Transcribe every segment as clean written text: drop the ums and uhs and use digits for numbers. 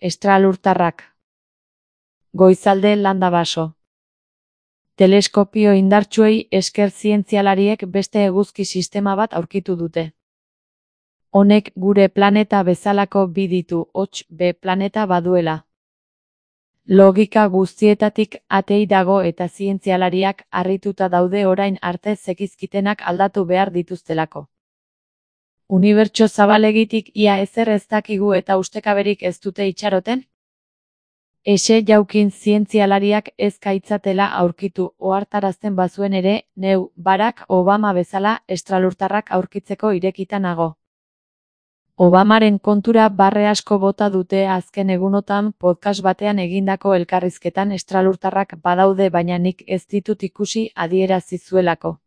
Estralurtarrak. Goizalde Landabaso. Teleskopio indartsuei esker zientzialariek beste eguzki sistema bat aurkitu dute. Honek gure planeta bezalako bi ditu, hots B planeta baduela. Logika guztietatik atei dago eta zientzialariak harrituta daude orain arte zekizkitenak aldatu behar dituztelako. Unibertso zabalegitik ia ezer ez dakigu eta ustekaberik ez dute itxaroten? Exe jaukin zientzialariak ez gaitzatela aurkitu ohartarazten bazuen ere, neu, Barack Obama bezala estralurtarrak aurkitzeko irekita nago. Obamaren kontura barre asko bota dute azken egunotan podcast batean egindako elkarrizketan estralurtarrak badaude baina nik ez ditut ikusi adierazi zuelako.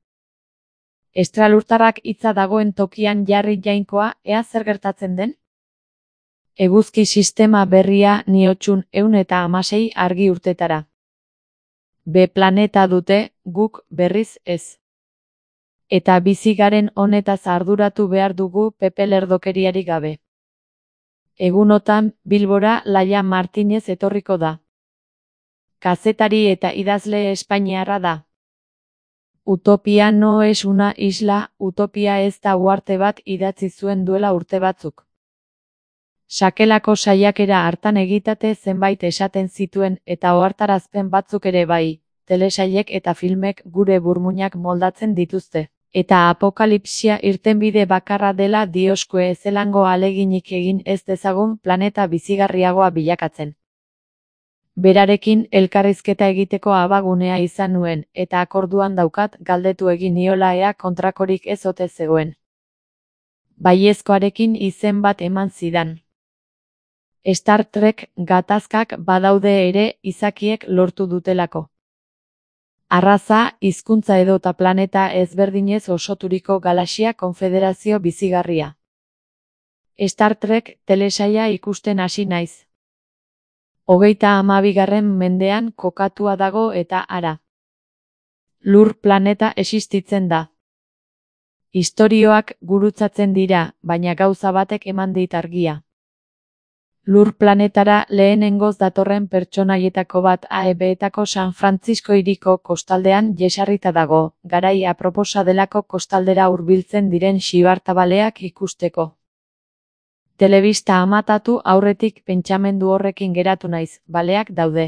Estralurtarrak hitza dagoen tokian jarri jainkoa, ea zer gertatzen den? Eguzki sistema berria niotxun 116 argi urtetara. B planeta dute, guk berriz ez. Eta bizi garen honetaz arduratu behar dugu Pepe lerdokeriari gabe. Egunotan, Bilbora Laia Martinez etorriko da. Kazetari eta idazle espainiarra da. Utopia no es una isla, utopia ez da uharte bat idatzi zuen duela urte batzuk. Sakelako saiakera hartan egitate zenbait esaten zituen eta ohartarazpen batzuk ere bai, telesailek eta filmek gure burmuinak moldatzen dituzte. Eta apokalipsia irtenbide bakarra dela dioskue ezelango aleginik egin ez dezagun planeta bizigarriagoa bilakatzen. Berarekin elkarrizketa egiteko abagunea izan nuen, eta akorduan daukat galdetu egin niola ea kontrakorik ez ote zegoen. Baiezkoarekin izen bat eman zidan. Star Trek gatazkak badaude ere izakiek lortu dutelako. Arraza, hizkuntza edota planeta ezberdinez osoturiko galaxia konfederazio bizigarria. Star Trek telesaila ikusten hasi naiz. 32. mendean kokatua dago eta hara. Lur planeta existitzen da. Istorioak gurutzatzen dira, baina gauza batek eman dit argia. Lur planetara lehenengoz datorren pertsonaietako bat AEB-etako San Francisco hiriko kostaldean jesarrita dago, garai aproposa delako kostaldera hurbiltzen diren xibartabaleak ikusteko. Telebista amatatu aurretik pentsamendu horrekin geratu naiz, baleak daude.